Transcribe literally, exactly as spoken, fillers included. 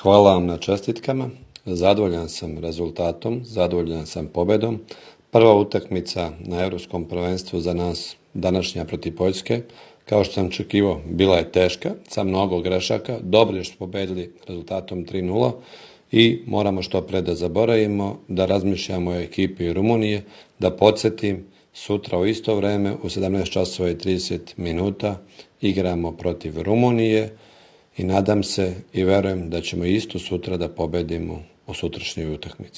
Hvala vam na čestitkama. Zadovoljan sam rezultatom, zadovoljan sam pobedom. Prva utakmica na Europskom prvenstvu za nas, današnja protiv Poljske, kao što sam očekivao, bila je teška, sa mnogo grešaka. Dobro je što smo pobedili rezultatom tri nula i moramo što pre da zaboravimo, da razmišljamo o ekipi Rumunije, da podsjetim, sutra u isto vreme u sedamnaest časova i trideset minuta igramo protiv Rumunije i nadam se i verujem da ćemo isto sutra da pobedimo u sutrašnjoj utakmici.